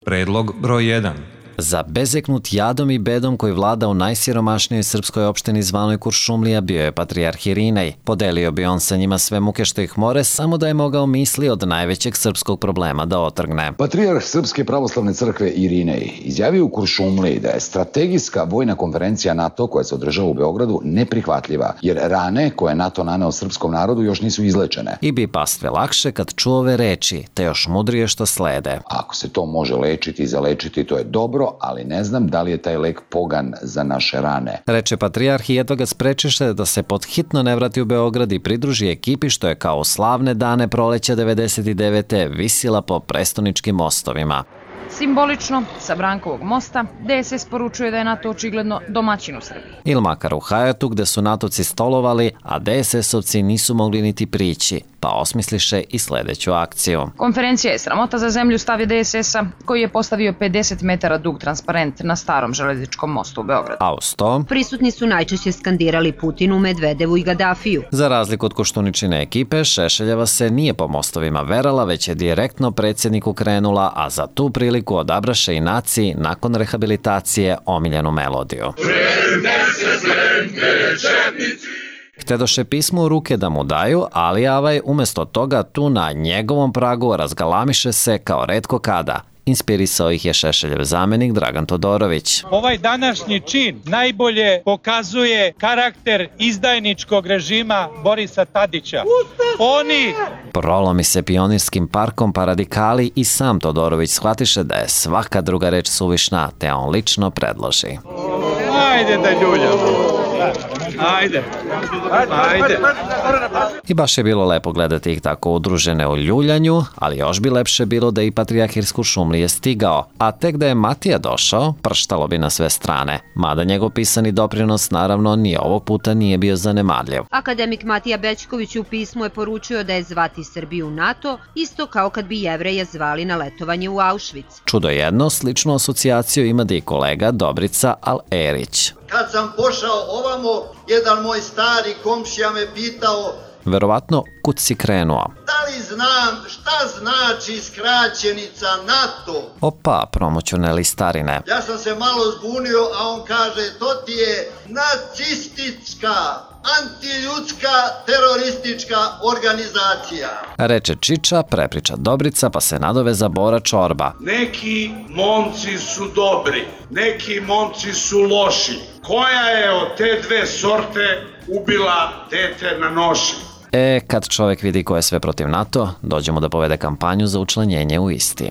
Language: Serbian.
Predlog broj 1. Zabezeknut jadom i bedom koji vlada u najsiromašnijoj srpskoj opštini zvanoj Kuršumlija bio je patrijarh Irinej. Podelio bi on sa njima sve muke što ih more, samo da je mogao misli od najvećeg srpskog problema da otrgne. Patrijarh Srpske pravoslavne crkve Irinej izjavio u Kuršumliji da je strategijska vojna konferencija NATO koja se održava u Beogradu neprihvatljiva, jer rane koje NATO naneo srpskom narodu još nisu izlečene. I bi pastve lakše kad čuo ove reči, te još mudrije što slede. Ako se to može lečiti i zalečiti, to je dobro, ali ne znam da li je taj lek pogan za naše rane. Reče patrijarh i jedva ga sprečiše da se podhitno ne vrati u Beograd i pridruži ekipi što je kao u slavne dane proleća 99. visila po prestoničkim mostovima. Simbolično, sa Brankovog mosta, DSS poručuje da je NATO očigledno domaćin u Srbiji. Ili makar u Hajatu gde su NATO-ci stolovali, a DSS-ovci nisu mogli niti prići, pa osmisliše i sledeću akciju. Konferencija je sramota za zemlju, stav je DSS-a, koji je postavio 50 metara dug transparent na starom železničkom mostu u Beogradu. A uz to, prisutni su najčešće skandirali Putinu, Medvedevu i Gadafiju. Za razliku od Koštuničine ekipe, Šešeljeva se nije po mostovima verala, već je direktno predsjedniku krenula, a za tu priliku odabraše i naciji nakon rehabilitacije omiljenu melodiju. Htedoše pismo u ruke da mu daju, ali Avaj umesto toga tu na njegovom pragu razgalamiše se kao retko kada. Inspirisao ih je Šešeljev zamenik Dragan Todorović. Ovaj današnji čin najbolje pokazuje karakter izdajničkog režima Borisa Tadića. Oni prolomi se Pionirskim parkom, pa radikali i sam Todorović shvatiše da je svaka druga reč suvišna, te on lično predloži. Ajde da ljuljamo. Ajde. I baš je bilo lepo gledati ih tako udružene u ljuljanju, ali još bi lepše bilo da i patrijarh iz Kuršumlije stigao, a tek da je Matija došao, prštalo bi na sve strane, mada njegov pisani doprinos naravno ni ovog puta nije bio zanemarljiv. Akademik Matija Bećković u pismu je poručio da je zvati Srbiju u NATO, isto kao kad bi Jevreje zvali na letovanje u Auschwitz. Čudo jedno, sličnu asocijaciju ima da i kolega Dobrica Al-Erić. Kad sam pošao ovamo, jedan moj stari komšija me pitao: verovatno, kud si krenuo? Da li znam šta znači skraćenica NATO? Opa, promoćune starine. Ja sam se malo zbunio, a on kaže: to ti je nacistička, antiljudska, teroristička organizacija. Reče Čiča, prepriča Dobrica, pa se nadoveza Bora Čorba. Neki momci su dobri, neki momci su loši. Koja je od te dve sorte ubila dete na noši? Kad čovjek vidi ko je sve protiv NATO, dođe mu da povede kampanju za učlanjenje u isti.